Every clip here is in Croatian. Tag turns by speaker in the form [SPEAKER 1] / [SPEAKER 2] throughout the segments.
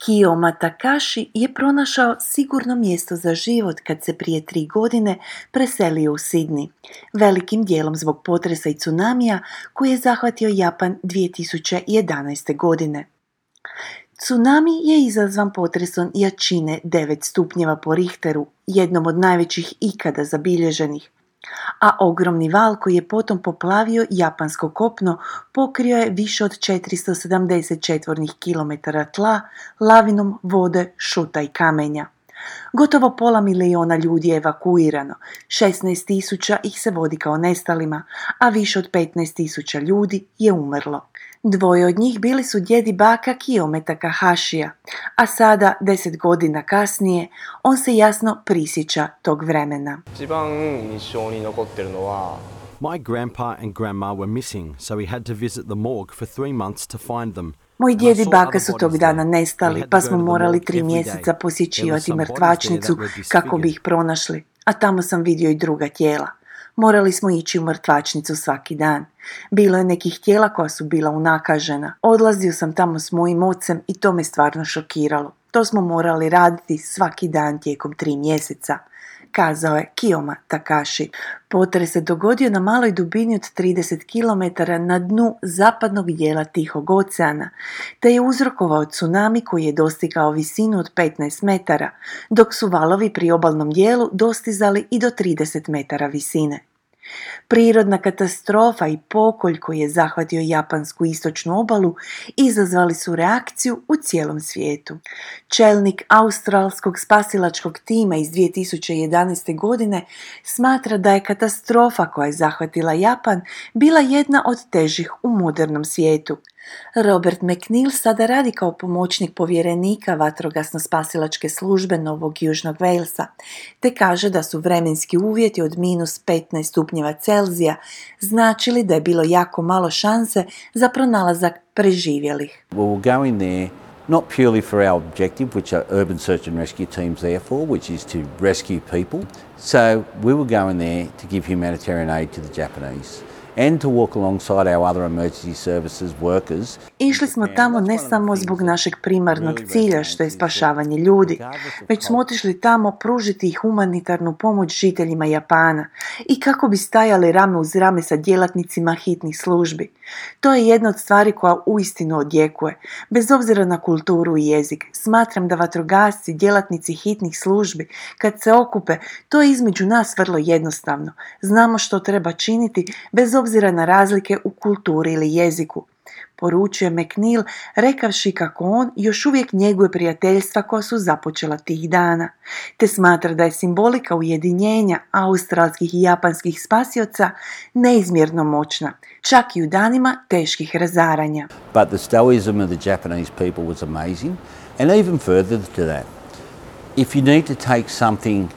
[SPEAKER 1] Kiyoma Takashi je pronašao sigurno mjesto za život kad se prije 3 godine preselio u Sidney, velikim dijelom zbog potresa i tsunamija koji je zahvatio Japan 2011. godine. Tsunami je izazvan potresom jačine 9 stupnjeva po Richteru, jednom od najvećih ikada zabilježenih, a ogromni val koji je potom poplavio japansko kopno pokrio je više od 470 četvornih kilometara tla lavinom vode, šuta i kamenja. Gotovo 500.000 ljudi je evakuirano, 16.000 ih se vodi kao nestalima, a više od 15.000 ljudi je umrlo. 2 od njih bili su djed i baka Kiyome Takahashija, a sada, 10 godina kasnije, on se jasno prisjeća tog vremena.
[SPEAKER 2] My grandpa and grandma were missing, so we had to visit the morgue for 3 months to find them.
[SPEAKER 1] Moji djed i baka su tog dana nestali, pa smo morali 3 mjeseca posjećivati mrtvačnicu kako bi ih pronašli, a tamo sam vidio i druga tijela. Morali smo ići u mrtvačnicu svaki dan. Bilo je nekih tijela koja su bila unakažena. Odlazio sam tamo s mojim ocem i to me stvarno šokiralo. To smo morali raditi svaki dan tijekom 3 mjeseca, kazao je Kiyoma Takashi. Potres se dogodio na maloj dubini od 30 km na dnu zapadnog dijela Tihog oceana, te je uzrokovao tsunami koji je dostigao visinu od 15 metara, dok su valovi pri obalnom dijelu dostizali i do 30 metara visine. Prirodna katastrofa i pokolj koji je zahvatio japansku istočnu obalu izazvali su reakciju u cijelom svijetu. Čelnik australskog spasilačkog tima iz 2011. godine smatra da je katastrofa koja je zahvatila Japan bila jedna od težih u modernom svijetu. Robert McNeil sada radi kao pomoćnik povjerenika vatrogasno-spasilačke službe Novog Južnog Walesa, te kaže da su vremenski uvjeti od -15 stupnjeva Celzija značili da je bilo jako malo šanse za pronalazak preživjelih.
[SPEAKER 3] We will go in there not purely for our objective, which are urban search and rescue teams there for, which is to rescue people. So we will go in there to give humanitarian aid to the Japanese and to walk alongside our other emergency services workers.
[SPEAKER 1] Išli smo tamo ne samo zbog našeg primarnog cilja, što je spašavanje ljudi, već smo otišli tamo pružiti i humanitarnu pomoć žiteljima Japana i kako bi stajali rame uz rame sa djelatnicima hitnih službi. To je jedna od stvari koja uistinu odjekuje. Bez obzira na kulturu i jezik, smatram da vatrogasci, djelatnici hitnih službi, kad se okupe, to je između nas vrlo jednostavno. Znamo što treba činiti bez obzira na razlike u kulturi ili jeziku, poručuje McNeil, rekavši kako on još uvijek njeguje prijateljstva koja su započela tih dana, te smatra da je simbolika ujedinjenja australskih i japanskih spasioca neizmjerno moćna, čak i u danima teških razaranja.
[SPEAKER 3] But the stoicism of the Japanese people was amazing, and even further to that. If you need to take something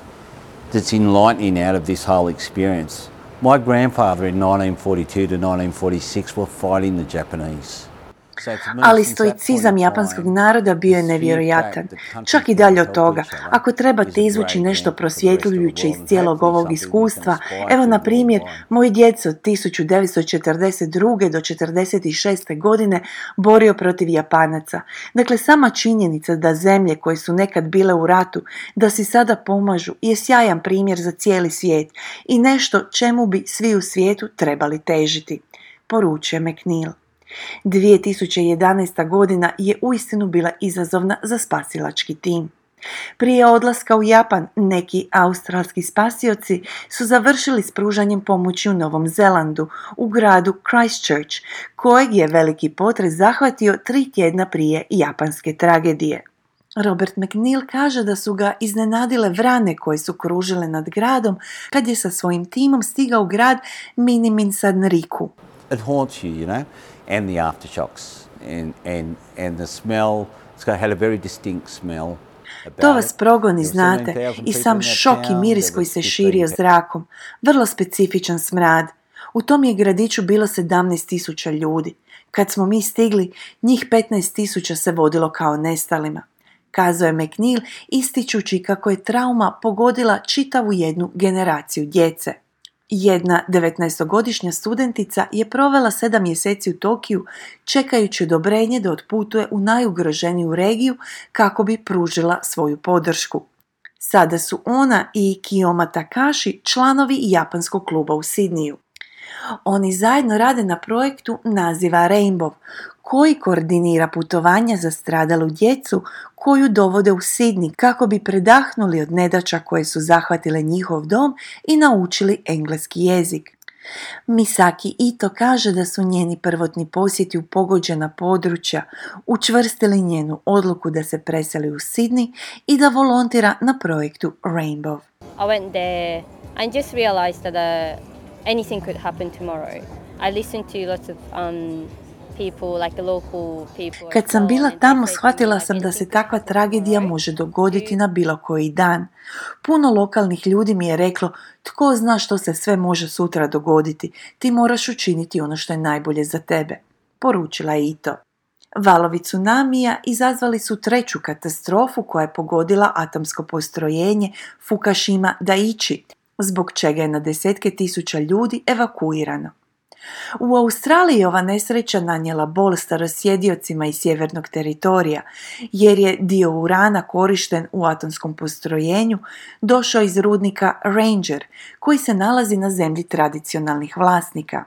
[SPEAKER 3] that's enlightening out of this whole experience, my grandfather in 1942 to 1946 were fighting the Japanese.
[SPEAKER 1] Ali stoicizam japanskog naroda bio je nevjerojatan. Čak i dalje od toga, ako trebate izvući nešto prosvjetljujuće iz cijelog ovog iskustva, evo na primjer, moj djed se od 1942. do 1946. godine borio protiv Japanaca. Dakle, sama činjenica da zemlje koje su nekad bile u ratu, da si sada pomažu, je sjajan primjer za cijeli svijet i nešto čemu bi svi u svijetu trebali težiti, poručuje McNeil. 2011. godina je uistinu bila izazovna za spasilački tim. Prije odlaska u Japan, neki australski spasioci su završili s pružanjem pomoći u Novom Zelandu, u gradu Christchurch, kojeg je veliki potres zahvatio 3 tjedna prije japanske tragedije. Robert McNeil kaže da su ga iznenadile vrane koje su kružile nad gradom kad je sa svojim timom stigao u grad Miniminsanriku.
[SPEAKER 3] It haunts you, you know, and the aftershocks and the smell. It's had a very distinct smell.
[SPEAKER 1] To vas progoni, znate, i sam šok i miris koji se širio zrakom. Vrlo specifičan smrad. U tom je gradiću bilo 17.000 ljudi. Kad smo mi stigli, njih 15.000 se vodilo kao nestalima, kazao je McNeil, ističući kako je trauma pogodila čitavu jednu generaciju djece. Jedna 19-godišnja studentica je provela 7 mjeseci u Tokiju čekajući odobrenje da otputuje u najugroženiju regiju kako bi pružila svoju podršku. Sada su ona i Kiyoma Takashi članovi japanskog kluba u Sidniju. Oni zajedno rade na projektu naziva Rainbow, koji koordinira putovanja za stradalu djecu koju dovode u Sidney kako bi predahnuli od nedaća koje su zahvatile njihov dom i naučili engleski jezik. Misaki Ito kaže da su njeni prvotni posjeti u pogođena područja učvrstili njenu odluku da se preseli u Sidney i da volontira na projektu Rainbow.
[SPEAKER 4] I went there and just realized that anything could happen tomorrow. I listened to lots of people, like the local people.
[SPEAKER 1] Kad sam bila tamo, shvatila sam da se takva tragedija može dogoditi na bilo koji dan. Puno lokalnih ljudi mi je reklo, tko zna što se sve može sutra dogoditi, ti moraš učiniti ono što je najbolje za tebe, poručila je Ito. Valovi tsunamija izazvali su 3. katastrofu koja je pogodila atomsko postrojenje Fukushima Daiichi, zbog čega je na desetke tisuća ljudi evakuirano. U Australiji je ova nesreća nanijela bol starosjediocima iz sjevernog teritorija, jer je dio urana korišten u atomskom postrojenju došao iz rudnika Ranger, koji se nalazi na zemlji tradicionalnih vlasnika.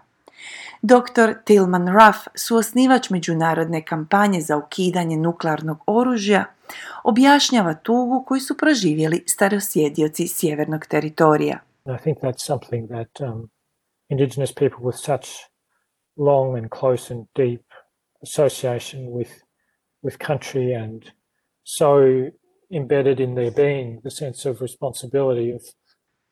[SPEAKER 1] Dr. Tilman Ruff, suosnivač međunarodne kampanje za ukidanje nuklearnog oružja, objašnjava tugu koju su proživjeli starosjedioci sjevernog teritorija.
[SPEAKER 5] I think that's something that Indigenous people with such long and close and deep association with country and so embedded in their being, the sense of responsibility of.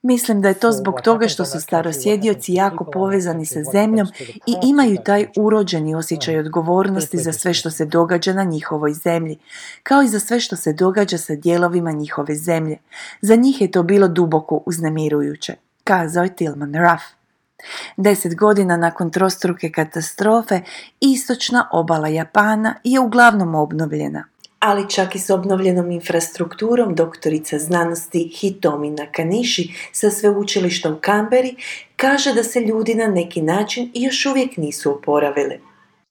[SPEAKER 1] Mislim da je to zbog toga što su starosjedioci jako povezani sa zemljom i imaju taj urođeni osjećaj odgovornosti za sve što se događa na njihovoj zemlji, kao i za sve što se događa sa dijelovima njihove zemlje. Za njih je to bilo duboko uznemirujuće, kazao je Tilman Ruff. 10 godina nakon trostruke katastrofe, istočna obala Japana je uglavnom obnovljena. Ali čak i s obnovljenom infrastrukturom doktorica znanosti Hitomi Nakanishi sa sveučilišta u Canberri kaže da se ljudi na neki način još uvijek nisu oporavili.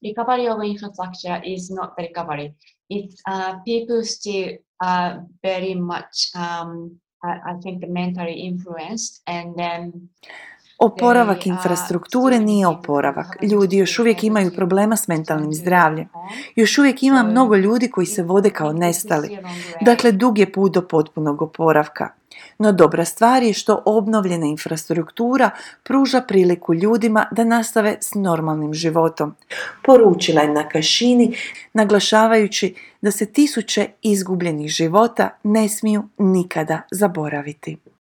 [SPEAKER 6] Recovery of infrastructure is not the recovery. It's people still very much, I think, mentally influenced and then.
[SPEAKER 1] Oporavak infrastrukture nije oporavak. Ljudi još uvijek imaju problema s mentalnim zdravljem. Još uvijek ima mnogo ljudi koji se vode kao nestali. Dakle, dug je put do potpunog oporavka. No dobra stvar je što obnovljena infrastruktura pruža priliku ljudima da nastave s normalnim životom. Poručila je Nakashini, naglašavajući da se 1000 izgubljenih života ne smiju nikada zaboraviti.